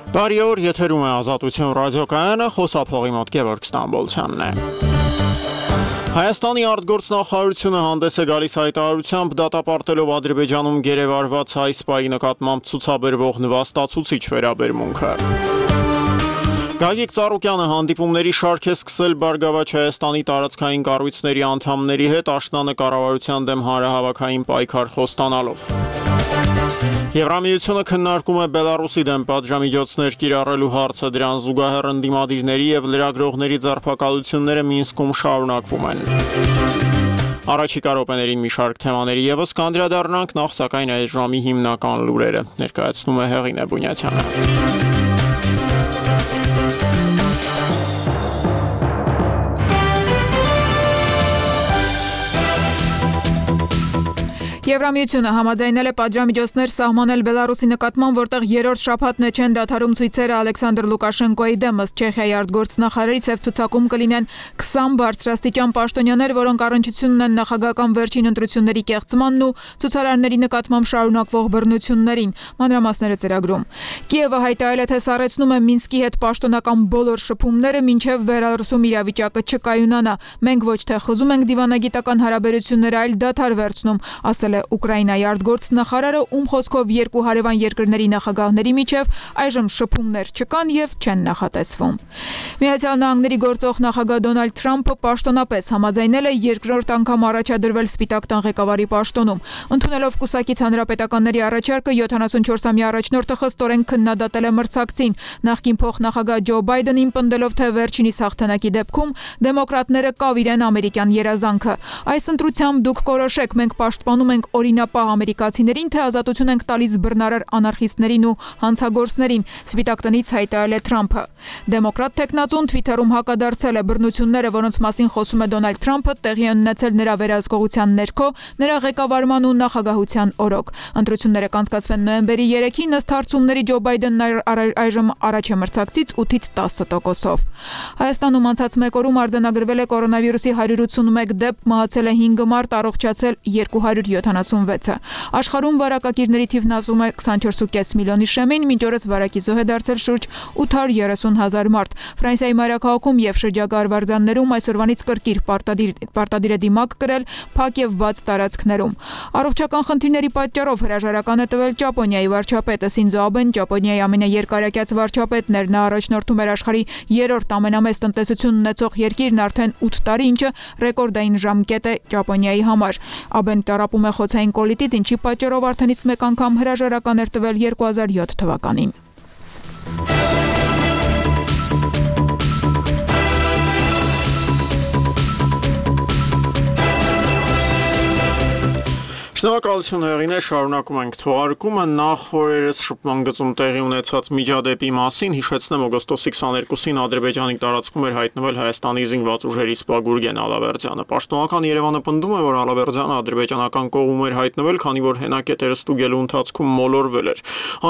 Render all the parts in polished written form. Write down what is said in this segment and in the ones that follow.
Բարի օր, եթերում է Ազատություն ռադիոկայանը, խոսափողի մոտ Գևորգ Ստամբոլցյանն է։ Հայաստանի արտգործնախարարությունը հանդես է գալիս հայտարարությամբ դատապարտելով Ադրբեջանում գերեվարված հայ սպայի նկատմամբ ցուցաբերվող նվաստացուցիչ վերաբերմունքը։ Գագիկ Ծառուկյանը հանդիպումների շարք է սկսել Բարգավաճ Հայաստանի տարածքային կառույցների անդամների հետ աշնանը կառավարության դեմ հանրահավաքային պայքար խոստանալով։ Եվրամիությունը քննարկում է Բելարուսի դեմ պատժամիջոցներ կիրառելու հարցը, դրան զուգահեռ ընդդիմադիրների եւ լրագրողների ձերբակալությունները Մինսկում շարունակվում են։ Առաջիկա րոպեներին մի շարք թեմաների եւս կանդրադառնանք, նախ սակայն այս ժամի հիմնական լուրերը ներկայացնում է Հեղինե Բունյացյանը։ Եվրամիությունը համաձայնել է պատժամիջոցներ սահմանել Բելարուսի նկատմամբ, որտեղ երրորդ շաբաթն է չեն դադարում ցույցերը Ալեքսանդր Լուկաշենկոյի դեմ, ըստ Չեխիայի արտգործնախարարի ցեվ ցուցակում կլինեն 20 բարձրաստիճան պաշտոնյաներ, որոնք առնչություն ունեն նախագահական վերջին ընտրությունների կեղծմանն ու ցուցարարների նկատմամբ շարունակվող բռնություններին։ Մանրամասները ծրագրում։ Կիևը հայտարարել է, թե սառեցնում է Մինսկի հետ պաշտոնական բոլոր շփումները, մինչև Բելարուսում իրավիճակը չկայունանա։ Մենք ոչ թե խզում ենք դիվանագիտական հարաբերությունները, այլ դադար վերցնում, ասել Ուկրաինայի արտգործնախարարը, ում խոսքով երկու հարևան երկրների նախագահների միջև այժմ շփումներ չկան եւ չեն նախատեսվում։ Միացյալ Նահանգների գործող նախագահ Դոնալդ Թրամփը պաշտոնապես համաձայնել է երկրորդ անգամ առաջադրվել Սպիտակ տան ղեկավարի պաշտոնում։ Ընդունելով կուսակից հանրապետականների առաջարկը 74-ամյա առաջնորդը խստորեն քննադատել է մրցակցին, նախկին փոխնախագահ Ջո Բայդենին պնդելով, թե վերջինիս հաղթանակի դեպքում դեմոկրատները կավիրեն ամերիկյան երազանքը։ Այս ընտրությամբ դուք կորոշեք, մենք պաշտպանում ենք օրինապահ ամերիկացիներին, թե ազատություն ենք տալիս բռնարար անարխիստներին ու հանցագործներին, Սպիտակ տնից հայտարարել է Թրամփը։ Դեմոկրատ տեխնացուն Թվիթերում հակադարձել է բռնությունները, որոնց մասին խոսում է Դոնալդ Թրամփը, տեղի են ունեցել նրա վերահսկողության ներքո, նրա ղեկավարման ու նախագահության օրոք։ Ընտրությունները կանցկացվեն նոյեմբերի 3-ին, ըստ հարցումների Ջո Բայդենն այժմ առաջ է մրցակցից 8-ից 10%-ով։ Հայաստանում անցած մեկ օրում արձանագրվել է կորոնավիրուսի 181 դեպք, մահացել է 5 մարդ, առողջացել 276-ը։ Աշխարհում վարակակիրների թիվն ասում է 24.5 միլիոնի շեմին, մինչ օրս վարակի զոհ է դարձել շուրջ 830,000 մարդ։ Ֆրանսիայի մայրաքաղաքում եւ շրջակա արվարձաններում այսօրվանից կրկիր պարտադիր է դիմակ կրել փակ եւ բաց տարածքներում։ Առողջական խնդիրների պատճառով հրաժարական է տվել Ճապոնիայի վարչապետը Սինզո Աբեն, Ճապոնիայի ամենաերկարակյաց վարչապետն էր, նա առաջնորդում էր աշխարհի երրորդ ամենամեծ տնտեսություն ունեցող երկիրն արդեն 8 տարի, ինչը ռեկորդային ժամկետ է Ճապոնիայի համար։ Աբեն տառապում է խոցային կոլիտից, ինչի պատճառով արդեն իսկ մեկ անգամ հրաժարական էր տվել 2007 թվականին։ Շնորհակալություն Հեղինե, շարունակում ենք թողարկումը։ Նախ օրերս շփման գծում տեղի ունեցած միջադեպի մասին հիշեցնեմ, օգոստոսի 22-ին Ադրբեջանի տարածքում էր հայտնվել Հայաստանի զինված ուժերի սպա Գուրգեն Ալավերդյանը։ Պաշտոնական Երևանը պնդում է, որ Ալավերդյանը ադրբեջանական կողմում էր հայտնվել, քանի որ հենակետերը ստուգելու ընթացքում մոլորվել էր։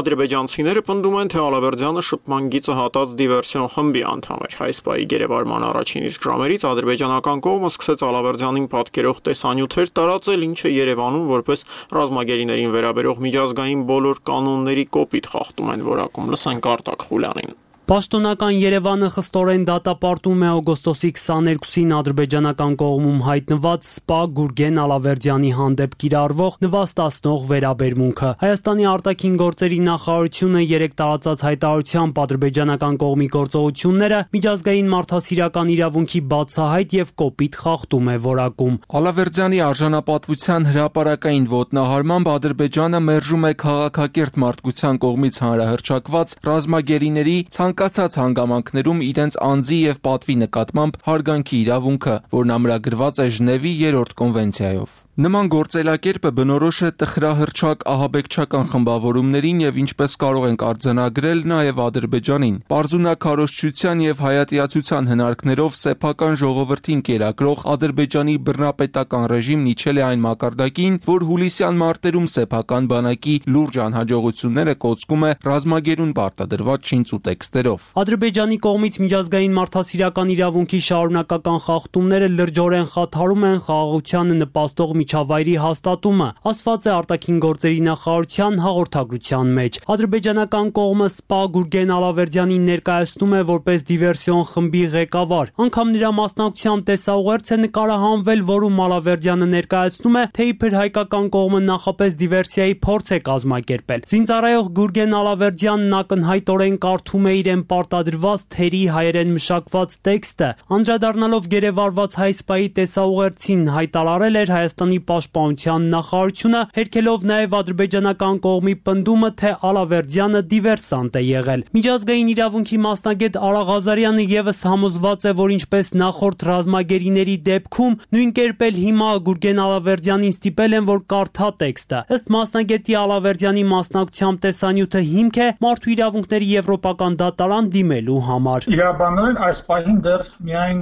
Ադրբեջանցիները պնդում են, թե Ալավերդյանը շփման գիծը հատած դիվերսիոն խմբի անդամ էր։ Հայ սպայի գերեվարման առաջին իսկ ժամերից ադրբեջանական կողմը սկսեց Ալավերդյանին պատկերող տեսանյութեր տարածել, ինչը Երևանում որպես ռազմագերիներին վերաբերող միջազգային բոլոր կանոնների կոպիտ խախտում են որակում։ Լսենք Արտակ Խուլյանին։ Պաշտոնական Երևանը խստորեն դատապարտում է օգոստոսի 22-ին ադրբեջանական կողմում հայտնված սպա Գուրգեն Ալավերդյանի հանդեպ կիրառվող նվաստացնող վերաբերմունքը։ Հայաստանի արտաքին գործերի նախարարությունը երեկ տարածած հայտարարությամբ ադրբեջանական կողմի գործողությունները միջազգային մարդասիրական իրավունքի բացահայտ եւ կոպիտ խախտում է որակում։ Ալավերդյանի արժանապատվության հրապարակային ոտնահարմամբ Ադրբեջանը մերժում է քաղաքակիրթ մարդկության կողմից հանրահռչակված ռազմագերիների ցանկացած հանգամանքներում իրենց անձի եւ պատվի նկատմամբ հարգանքի իրավունքը, որն ամրագրված է Ժնևի 3-րդ կոնվենցիայով։ Նման գործելակերպը բնորոշ է տխրահռչակ ահաբեկչական խմբավորումներին եւ ինչպես կարող ենք արձանագրել նաեւ Ադրբեջանին։ Պարզունակարոշչության եւ հայատյացության հնարքներով սեփական ժողովրդին կերակրող Ադրբեջանի բռնապետական ռեժիմն իջել է այն մակարդակին, որ հուլիսյան մարտերում սեփական բանակի լուրջ անհաջողությունները կոծկում է ռազմագերուն պարտադրված շինծ ու տեքստերով։ Ադրբեջանի կողմից միջազգային մարդասիրական իրավունքի շարունակական խախտումները լրջորեն խաթարում են խաղաղությանը նպաստող միջավայրի հաստատումը, ասված է արտաքին գործերի նախարարության հաղորդագրության մեջ։ Ադրբեջանական կողմը սպա Գուրգեն Ալավերդյանին ներկայացնում է որպես դիվերսիոն խմբի ղեկավար։ Անգամ նրա մասնակցությամբ տեսաուղերձ է նկարահանվել, որում Ալավերդյանը ներկայացնում է, թե իբր հայկական կողմը նախապես դիվերսիայի փորձ է կազմակերպել։ Զինծառայող Գուրգեն Ալավերդյանն ակնհայտորեն կարդում է իրեն պարտադրված թերի հայերեն մշակված տեքստը, անդրադառնալով գերեվարված հայ սպայի տեսաուղերձին հայտարարել էր Հայաստանի պաշտպանության նախարարությունը, հերքելով նաև ադրբեջանական կողմի պնդումը, թե Ալավերդյանը դիվերսանտ է եղել։ Միջազգային իրավունքի մասնագետ Արա Ղազարյանը եւս համոզված է, որ ինչպես նախորդ ռազմագերիների դեպքում, նույն կերպ էլ հիմա Գուրգեն Ալավերդյանին ստիպել են, որ կարդա տեքստը։ Ըստ մասնագետի Ալավերդյանի մասնակցությամբ տեսանյութը հիմք է մարդու իրավունքների եվրոպական դատարան դիմելու համար։ Իրավաբանորեն այս պահին դեռ միայն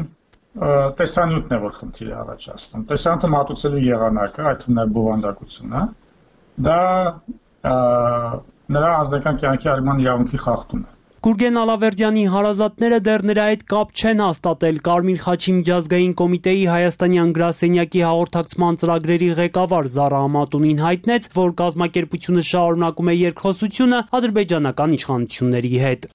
տեսանյութն է, որ խնդիր է առաջացնում։ Տեսանյութը մատուցելու եղանակը, այդ թվում նաև բովանդակությունը, դա նրա անձնական կյանքի արման իրավունքի խախտում է։ Գուրգեն Ալավերդյանի հարազատները դեռ նրա հետ կապ չեն հաստատել։ Կարմիր խաչի միջազգային կոմիտեի հայաստանյան գրասենյակի հաղորդակցման ծրագրերի ղեկավար Զարա Ամատունին հայտնեց, որ կազմակերպությունը շարունակում է երկխոսությունը ադրբեջանական իշխանությունների հետ։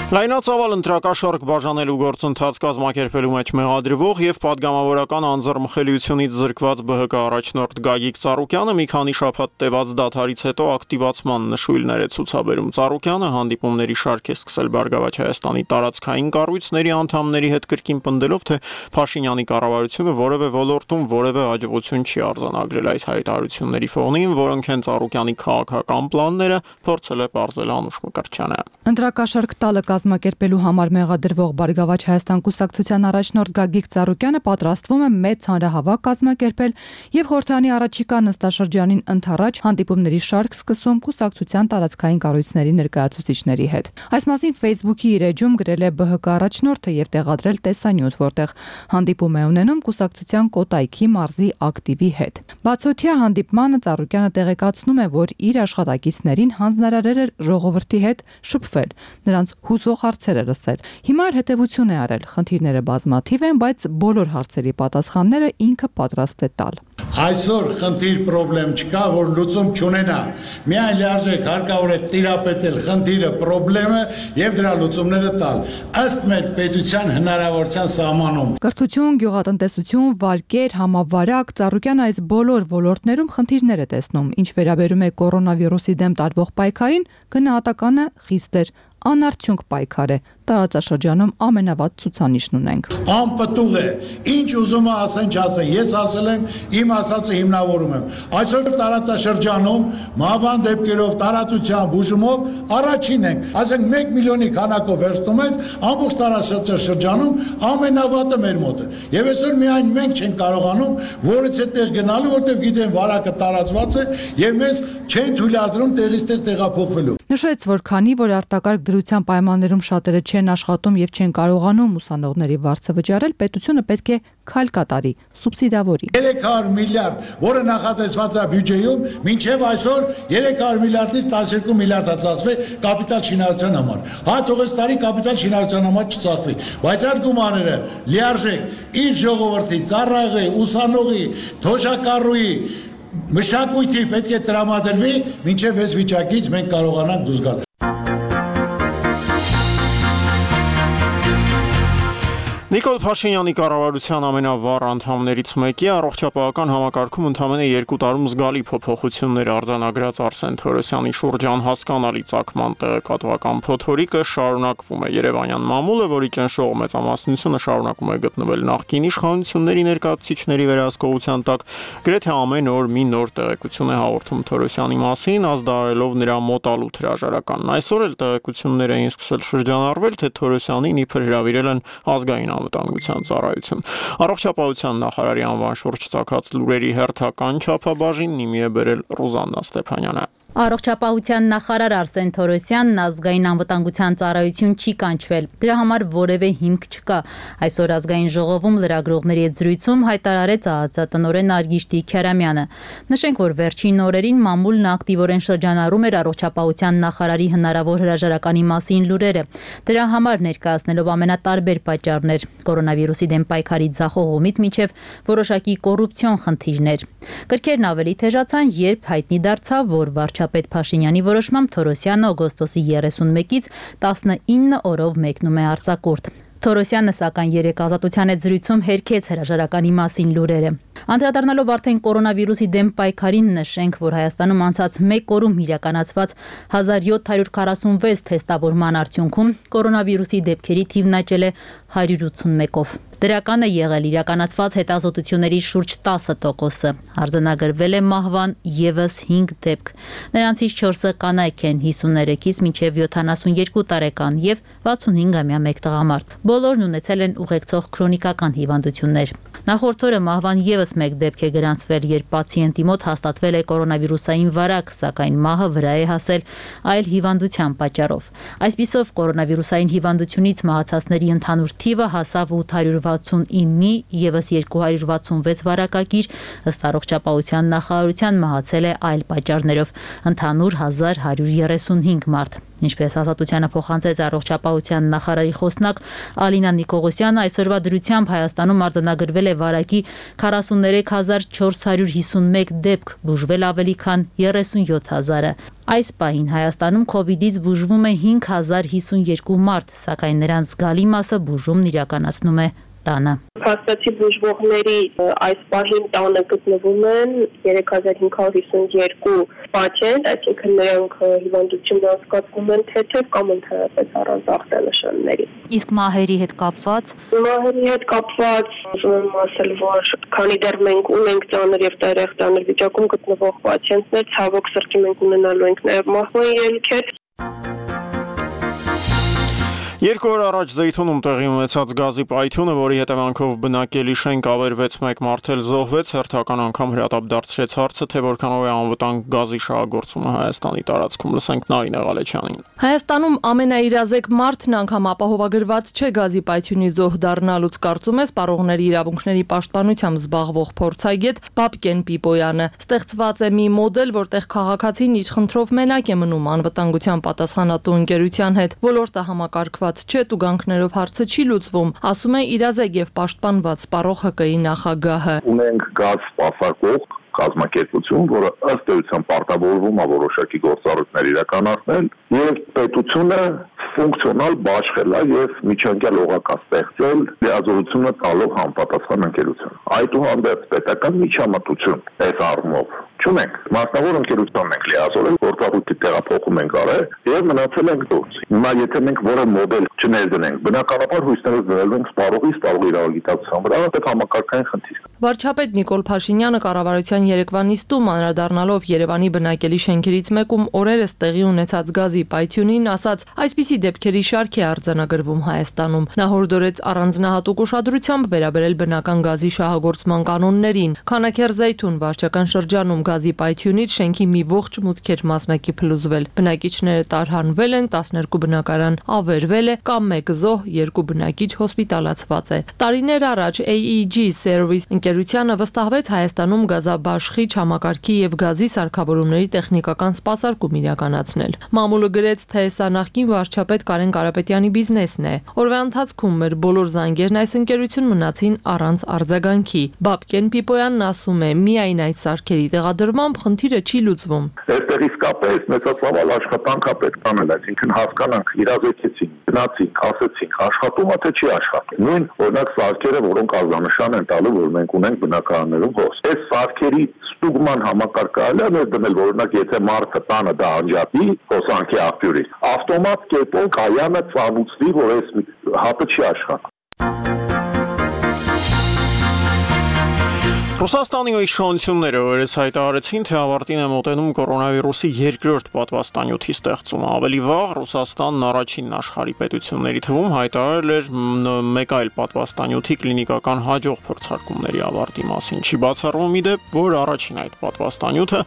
Լայնածավալ ընտրակաշառք բաժանելու գործընթաց կազմակերպելու մեջ մեղադրվող եւ падգամավորական անձեռմխելիությունից զրկված ԲՀԿ առաջնորդ Գագիկ Ծառուկյանը մի քանի շաբաթ տևած դադարից հետո ակտիվացման նշույլներ է ցուցաբերում։ Ծառուկյանը հանդիպումների շարք է սկսել Բարգավաճ Հայաստանի տարածքային կառույցների անդամների հետ կրկին պնդելով, թե Փաշինյանի կառավարությունը որևէ ոլորտում որևէ հաջողություն չի արձանագրել։ Այս հայտարարությունների ֆոնին, որոնք են Ծառուկյանի քաղաքական պլանները, փորձել է պարզել Անուշ Մկրտչյանը։ Ընտրակաշառք տալը կազմակերպելու համար մեղադրվող Բարգավաճ Հայաստան կուսակցության առաջնորդ Գագիկ Ծառուկյանը պատրաստվում է մեծ հանրահավաք կազմակերպել եւ խորհրդանի առաջիկա նստաշրջանին ընթառաջ հանդիպումների շարք սկսում կուսակցության տարածքային կառույցների ներկայացուցիչների հետ։ Այս մասին Facebook-ի իր էջում գրել է ԲՀԿ առաջնորդը եւ տեղադրել տեսանյութ, որտեղ հանդիպում է ունենում կուսակցության Կոտայքի մարզի ակտիվի հետ։ Բացօթյա հանդիպմանը Ծառուկյանը տեղեկացնում է, որ իր աշխատակիցներին հանձնարարել էր ժողովրդի հետ շփվել, նրանց հուզող հարցեր է լսել։ Հիմա հետևություն է արել, խնդիրները բազմաթիվ են, բայց բոլոր հարցերի պատասխանները ինքը պատրաստ է տալ։ Այսօր խնդիր պրոբլեմ չկա, որ լուծում չունենա։ Միայն լիարժեք հարկավոր է տիրապետել խնդիրը, պրոբլեմը եւ դրա լուծումները տալ, ըստ մեր պետության հնարավորության սահմանում։ Կրթություն, գյուղատնտեսություն, վարկեր, համավարակ, Ծառուկյանը այս բոլոր ոլորտներում խնդիրներ է տեսնում։ Ինչ վերաբերում է կորոնավիրուսի դեմ տարվող պայքարին, գնահատականը խիստ էր, անարդյունք պայքար է, տարածաշրջանում ամենավատ ցուցանիշն ունենք։ Անպտուղ է, ինչ ուզում է ասեն, չասեն, ես ասել եմ, իմ ասածը հիմնավորում եմ։ Այսօր տարածաշրջանում մահվան դեպքերով, տարածության բուժումով առաջին ենք, ասենք 1 միլիոնի քանակով վերցնում ենք, ամբողջ տարածաշրջանում ամենավատը մեր մոտ է։ Եվ այսօր միայն մենք չենք կարողանում որից է տեղ գնալու, որտեղ գիտեն վարակը տարածված է եւ մեզ չեն թույլատրում տեղից տեղ տեղափոխվելու։ Նշեց, որ քանի որ արտակարգ դրության պայմաններում շատերը չեն աշխատում եւ չեն կարողանում ուսանողների վարձը վճարել, պետությունը պետք է քայլ կատարի, սուբսիդավորի։ 300 միլիարդ, որը նախատեսված է բյուջեում, մինչև այսօր 300 միլիարդից 12 միլիարդ է ծախսվել կապիտալ շինարարության համար։ Հա թող այս տարի կապիտալ շինարարության համար չծախվի, բայց այդ գումարները լիարժեք իր ժողովրդի, ծառայողի, ուսանողի, թոշակառուի մշակույթի պետք է տրամադրվի, մինչև այս վիճակից մենք կարողանանք դուրս գալ։ Նիկոլ Փաշինյանի կառավարության ամենավառ անդամներից մեկի առողջապահական համակարգում ընդամենը 2 տարում զգալի փոփոխություններ արձանագրած Արսեն Թորոսյանի շուրջ անհասկանալի ծագման տեղեկատվական փոթորիկը շարունակվում է։ Երևանյան մամուլը, որի ճնշող մեծամասնությունը շարունակում է գտնվել նախկին իշխանությունների ներկայացուցիչների վերահսկողության տակ, գրեթե ամեն օր մի նոր տեղեկություն է հաղորդում Թորոսյանի մասին, ազդարելով նրա մոտալուտ հրաժարականն։ Այսօր էլ տեղեկություններ էին սկսել շրջանառվել, թե Թորոսյանին իբր հրավիրել են ազգային անվտանգության ծառայություն։ Առողջապահության նախարարի անվան շուրջ ծագած լուրերի հերթական չափաբաժին նիմի է բերել Ռուզաննա Ստեփանյանը։ Առողջապահության նախարար Արսեն Թորոսյանն ազգային անվտանգության ծառայություն չի կանչվել։ Դրա համար որևէ հիմք չկա։ Այսօր ազգային ժողովում լրագրողների հետ զրույցում հայտարարեց ԱԱԾ տնօրեն Արգիշտի Քյարամյանը։ Նշենք, որ վերջին օրերին մամուլն ակտիվորեն շրջանառում էր առողջապահության նախարարի հնարավոր հրաժարականի մասին լուրերը։ Դրա համար ներկայացնելով ամենատարբեր պատճառներ՝ կորոնավիրուսի դեմ պայքարի ձախողումից մինչև որոշակի կոռուպցիոն խնդիրներ։ Կրքերն ավելի թեժացան, երբ հայտնի դարձավ, որ վարչապետ Փաշինյանի որոշմամբ Թորոսյանը օգոստոսի 31-ից 19 օրով մեկնում է արձակուրդ։ Թորոսյանը սակայն երեկ Ազատության հետ զրույցում հերքեց հրաժարականի մասին լուրերը։ Անդրադառնալով արդեն կորոնավիրուսի դեմ պայքարին, նշենք, որ Հայաստանում անցած 1 օրում իրականացված 1746 թեստավորման արդյունքում կորոնավիրուսի դեպքերի թիվն աճել է 181-ով։ Դրական է եղել իրականացված հետազոտությունների շուրջ 10%-ը։ Արձանագրվել է մահվան եւս 5 դեպք։ Նրանցից 4-ը կանայք են 53-ից մինչև 72 տարեկան եւ 65-ամյա մեկ տղամարդ։ Բոլորն ունեցել են ուղեկցող քրոնիկական հիվանդություններ։ Նախորդ օրը մահվան եւս 1 դեպք է գրանցվել, երբ պացիենտի մոտ հաստատվել է կորոնավիրուսային վարակ, սակայն մահը վրա է հասել այլ հիվանդության պատճառով։ Այսպիսով կորոնավիրուսային հիվանդությունից մահացածների ընդհանուր թիվը հասավ 869-ի, եւս 266 վարակագիր, ըստ առողջապահության նախարարության մահացել է այլ պատճառներով, ընդհանուր 1135 մարդ։ Ինչպես Ազատությանը փոխանցեց առողջապահության նախարարի խոսնակ Ալինա Նիկողոսյանը, այսօրվա դրությամբ Հայաստանում արձանագրվել է վարակի 43451 դեպք, բուժվել ավելի քան 37000-ը։ Այս պահին Հայաստանում COVID-ից բուժվում է 5052 մարդ, սակայն նրանց զգալի մասը բուժումն իրականացնում է տանը։ Փաստացի բուժվողների այս պահին տանը գտնվում են 3552 պացիենտ, այսինքն նրանք հիվանդությունը անցկացնում են թեթև կամ ընդհանրապես առանց ախտանշանների։ Իսկ մահերի հետ կապված ուզում եմ ասել, որ քանի դեռ մենք ունենք ծանր եւ տերեխտանր վիճակում գտնվող պացիենտներ, ցավոք սրտի մենք ունենալու ենք նաեւ մահվան ելքեր։ 2 օր առաջ Զեյթունում տեղի ունեցած գազի պայթյունը, որի հետևանքով բնակելի շենք ավերվեց, 1 մարդ էլ զոհվեց, հերթական անգամ հրատապ դարձրեց հարցը, թե որքանով է անվտանգ գազի շահագործումը Հայաստանի տարածքում։ Լսենք Նարինե Ղալեչյանին։ Հայաստանում ամենաիրազեկ մարդն անգամ ապահովագրված չէ գազի պայթյունի զոհ դառնալուց, կարծում է սպառողների իրավունքների պաշտպանությամբ զբաղվող փորձագետ Բաբկեն Պիպոյանը։ Ստեղծված է մի մոդել, որտեղ քաղաքացին իր խնդրով մենակ է մնում անվտանգության պատասխանատու ընկերության հետ։ Ոլորտը համակարգված չէ, տուգանքներով հարցը չի լուծվում, ասում է իրազեկ եւ պաշտպանված սպառող ՀԿ-ի նախագահը։ Ունենք գազ սպասարկող կազմակերպություն, որը ըստ էության պարտավորվում է որոշակի գործառույթներ իրականացնել, եւ պետությունը ֆունկցիոնալ բաշխել է եւ միջանկյալ օղակա ստեղծել լիազորությունը տալով համապատասխան ընկերություն։ Այդուհանդերձ պետական միջամտություն այս առումով չունենք։ Մասնավոր ընկերությունն ենք լիազորել, գործառույթի տեղափոխում ենք արել եւ մնացել ենք դուրս։ Հիմա եթե մենք որևէ մոդել չներդնենք, բնականաբար հույսներով դրել ենք սպառողի իրավագիտակցության վրա, դա համակարգային խնդիր։ Վարչապետ Նիկոլ Փաշինյանը կառավարության երեկվա նիստում անդրադառնալով Երևանի բնակելի շենքերից մեկում օրերս տեղի ունեցած գազի պայթյունին, ասաց, այսպիսի դեպքերի շարք է արձանագրվում Հայաստանում։ Նա հորդորեց առանձնահատուկ ուշադրությամբ վերաբերել բնական գազի շահագործման կանոններին։ Քանաքեռ-Զեյթուն վարչական շրջանում գազի պայթյունից շենքի մի ողջ մուտք էր մասնակի փլուզվել։ Բնակիչները տարհանվել են, 12 բնակարան ավերվել է, կամ 1 զոհ, 2 բնակիչ հոսպիտալացված է։ Տարիներ առաջ AEG Service ընկերությանը վստահվեց Հայաստանում գազաբաշխիչ համակարգի եւ գազի սարքավորումների տեխնիկական սպասարկում իրականացնել։ Մամուլը գրեց, թե սա նախկին վարչապետ Կարեն Կարապետյանի բիզնեսն է։ Օրվա ընթացքում մեր բոլոր զանգերն այս ընկերություն մնացին առանց արձագանքի։ Բաբկեն Պիպոյանն ասում է, միայն այդ սարքերի տեղադրմամբ խնդիրը չի լուծվում։ Այստեղ իսկապես մեծացավ աշխատանք է պետք անել, այսինքն հասկանանք իրազեկեցին, գնացինք, ասեցինք, աշխատում է թե չի աշխատում։ Նույն օրինակ սարքերը, որոնք ազդանշան են տալու, որ մենք ունենք բնակարաններում հոս։ Այս սարքերի ստուգման համակարգը ալա դնել, օրինակ եթե մարդը տանը դա անջատի հոսանքի աղբյուրից, ավտոմատ կերպով կայանը ծանուցվի, որ այս հատը չի աշխատում։ Ռուսաստանի իշխանությունները օրերս հայտարարեցին, թե ավարտին է մոտենում կորոնավիրուսի երկրորդ պատվաստանյութի ստեղծումը։ Ավելի վաղ Ռուսաստանն առաջին աշխարհի պետությունների թվում հայտարարել էր մեկ այլ պատվաստանյութի կլինիկական հաջող փորձարկումների ավարտի մասին։ Չի բացառվում իդեպ, որ առաջին այդ պատվաստանյութը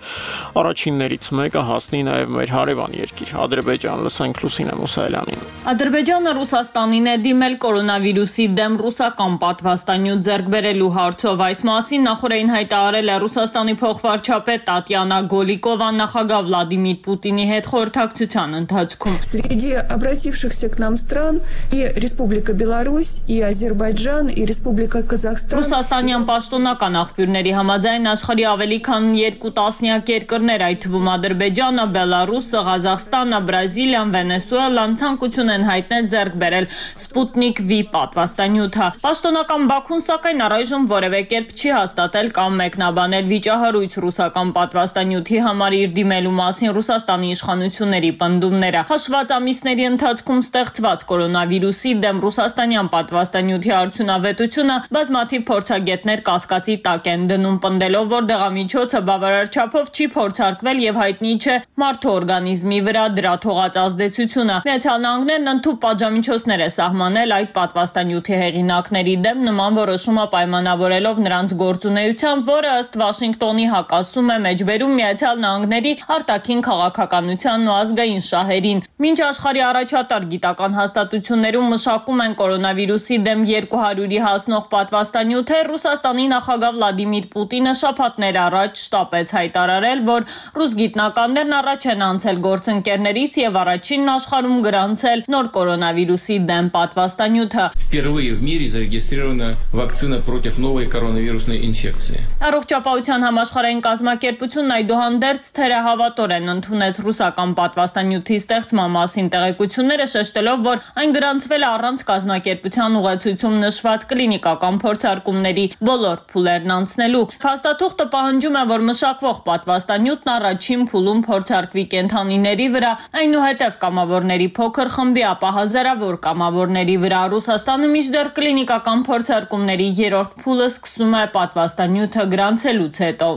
առաջիններից մեկը հասնի նաև մեր հարևան երկիր Ադրբեջան։ Լսենք Լուսինե Մուսայելյանին։ Ադրբեջանը Ռուսաստանին է դիմել կորոնավիրուսի դեմ ռուսական պատվաստանյութ ձեռք բերելու հարցով։ Այս մասին նախորդին հայտարարել է Ռուսաստանի փոխվարչապետ Տատյանա Գոլիկովան նախագահ Վլադիմիր Պուտինի հետ խորհրդակցության ընթացքում։ Среди обратившихся к нам стран и Республика Беларусь, и Азербайджан, и Республика Казахстан. Ռուսաստանյան պաշտոնական աղբյուրների համաձայն աշխարհի ավելի քան 2 տասնյակ երկրներ, այդ թվում Ադրբեջանը, Բելարուսը, Ղազախստանը, Բրազիլիան, Վենեսուելան ցանկություն են հայտնել ձեռք բերել Sputnik V պատվաստանյութը։ Պաշտոնական Բաքուն սակայն առայժմ որևէ կերպ չի հաստատել կամ մեկնաբանել վիճահարույց ռուսական պատվաստանյութի համար իր դիմելու մասին Ռուսաստանի իշխանությունների պնդումները։ Հաշված ամիսների ընթացքում ստեղծված կորոնավիրուսի դեմ ռուսաստանյան պատվաստանյութի արդյունավետությունը բազմաթիվ փորձագետներ կասկածի տակ են դնում, պնդելով, որ դեղամիջոցը բավարար չափով չի փորձարկվել եւ հայտնի չէ մարդու օրգանիզմի վրա դրա թողած ազդեցությունը։ Միացյալ Նահանգներն ընդհանուր պատժամիջոցներ է սահմանել այդ պատվաստանյութի հեղինակների դեմ, նման որոշումը պայմանավորելով նրանց գործունեությամբ, որը ըստ Վաշինգտոնի հակասում է մեջբերում Միացյալ Նահանգների արտաքին քաղաքականությանն ու ազգային շահերին։ Մինչ աշխարհի առաջատար գիտական հաստատություններում մշակում են կորոնավիրուսի դեմ 200-ի հասնող պատվաստանյութեր, Ռուսաստանի նախագահ Վլադիմիր Պուտինը շաբաթներ առաջ շտապեց հայտարարել, որ ռուս գիտնականներն առաջ են անցել գործընկերներից եւ առաջինն աշխարհում գրանցել նոր կորոնավիրուսի դեմ պատվաստանյութը։ Впервые в мире зарегистрирована вакцина против новой коронавирусной инфекции. Առողջապահության համաշխարհային կազմակերպությունն այդուհանդերձ թերահավատորեն ընդունեց ռուսական պատվաստանյութի ստեղծման մասին տեղեկությունները, շեշտելով, որ այն գրանցվել է առանց կազմակերպության ուղեցույցում նշված կլինիկական փորձարկումների բոլոր փուլերն անցնելու։ Փաստաթուղթը պահանջում է, որ մշակվող պատվաստանյութն առաջին փուլում փորձարկվի կենդանիների վրա, այնուհետև կամավորների փոքր խմբի, ապա հազարավոր կամավորների վրա։ Ռուսաստանը մինչդեռ կլինիկական փորձարկումների երրորդ փուլը սկսում է պատվաստանյութը գրանցելուց հետո։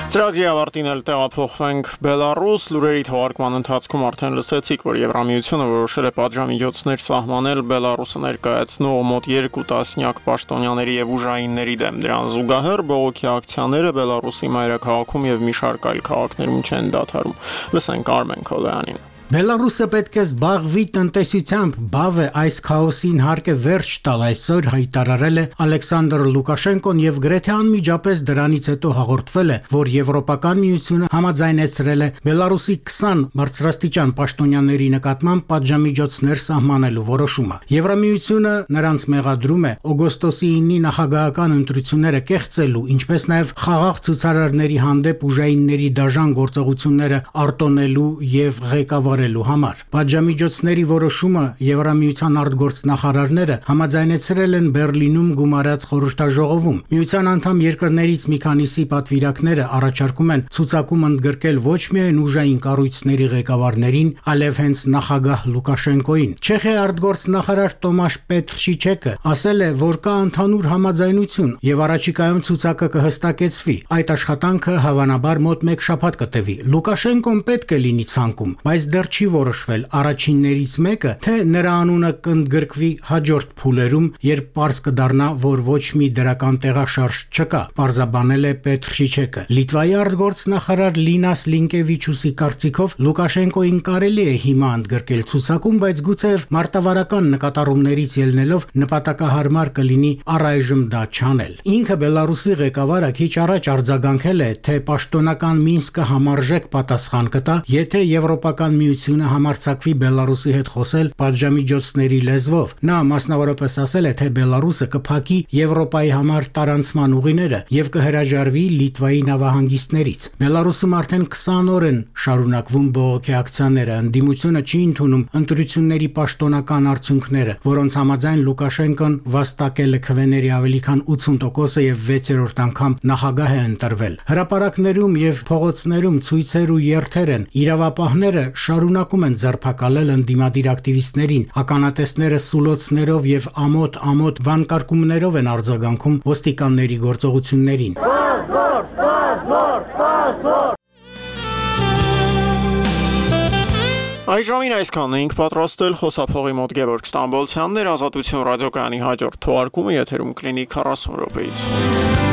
Ծրագրի ավարտին էլ տեղափոխվենք Բելարուս։ Լուրերի թողարկման ընթացքում արդեն լսեցիք, որ Եվրամիությունը որոշել է պատժամիջոցներ սահմանել Բելարուսը ներկայացնող մոտ 2 տասնյակ պաշտոնյաների եւ ուժայինների դեմ։ Դրան զուգահեռ բողոքի ակցիաները Բելարուսի մայրաքաղաքում եւ մի շարք այլ քաղաքներում չեն դադարում։ Լսենք Արմեն Քոլյանին։ Բելարուսը պետք է զբաղվի տնտեսությամբ, բավ է այս քաոսին հարկ է վերջ տալ, այսօր հայտարարել է Ալեքսանդր Լուկաշենկոն եւ գրեթե անմիջապես դրանից հետո հաղորդվել է, որ Եվրոպական միությունը համաձայնեցրել է Բելարուսի 20 բարձրաստիճան պաշտոնյաների նկատմամբ պատժամիջոցներ սահմանելու որոշումը։ Եվրամիությունը նրանց մեղադրում է օգոստոսի 9-ի նախագահական ընտրությունները կեղծելու, ինչպես նաեւ խաղաղ ցուցարարների հանդեպ ուժայինների դաժան գործողությունները արտոնելու եւ ղեկավարելու համար։ Պատժամիջոցների որոշումը Եվրամիության արտգործնախարարները համաձայնեցրել են Բերլինում գումարած խորհրդաժողովում։ Միության անդամ երկրներից մի քանիսի պատվիրակները առաջարկում են ցուցակում ընդգրկել ոչ միայն ուժային կառույցների ղեկավարներին, այլև հենց նախագահ Լուկաշենկոին։ Չեխիայի արտգործնախարար Տոմաշ Պետրշիչեկը ասել է, որ կա ընդհանուր համաձայնություն եւ առաջիկայում ցուցակը կհստակեցվի։ Այդ աշխատանքը հավանաբար մոտ 1 շաբաթ կտևի։ Լուկաշենկոն պետք է լինի ցանկում, բայց դեռ չի որոշվել առաջիններից մեկը, թե նրա անունը կընդգրկվի հաջորդ փուլերում, երբ պարզ կդառնա, որ ոչ մի դրական տեղաշարժ չկա, պարզաբանել է Պետրշիչեկը։ Լիտվայի արտգործնախարար Լինաս Լինկևիչուսի կարծիքով Լուկաշենկոին կարելի է հիմա ընդգրկել ցուցակում, բայց գուցեև մարտավարական նկատառումներից ելնելով նպատակահարմար կլինի առայժմ դա չանել։ Ինքը Բելարուսի ղեկավարը քիչ առաջ արձագանքել է, թե պաշտոնական Մինսկը համարժեք պատասխան կտա, եթե Եվրոպական միությունը համարձակվի Բելարուսի հետ խոսել պատժամիջոցների լեզվով։ Նա մասնավորապես ասել է, թե Բելարուսը կփակի Եվրոպայի համար տարանցման ուղիները եւ կհրաժարվի Լիտվայի նավահանգիստներից։ Բելարուսում արդեն 20 օր են շարունակվում բողոքի ակցիաները, ընդդիմությունը չի ընդունում ընտրությունների պաշտոնական արդյունքները, որոնց համաձայն Լուկաշենկոն վաստակել է քվեների ավելի քան 80%-ը եւ 6-րդ անգամ նախագահ է ընտրվել։ Հրապարակներում եւ փողոցներում ցույցեր ու երթեր են, իրավապահները շարունակում շարունակում են ձերբակալել ընդդիմադիր ակտիվիստներին։ Ականատեսները սուլոցներով եւ ամոթ վանկարկումներով են արձագանքում ոստիկանների գործողություններին։ Այժմին այսքանն էինք պատրաստել խոսափողի մոտ Գևորգ Ստամբոլցյանն էր, Ազատություն ռադիոկայանի հաջորդ թողարկումը եթերում կլինի 40 րոպեից։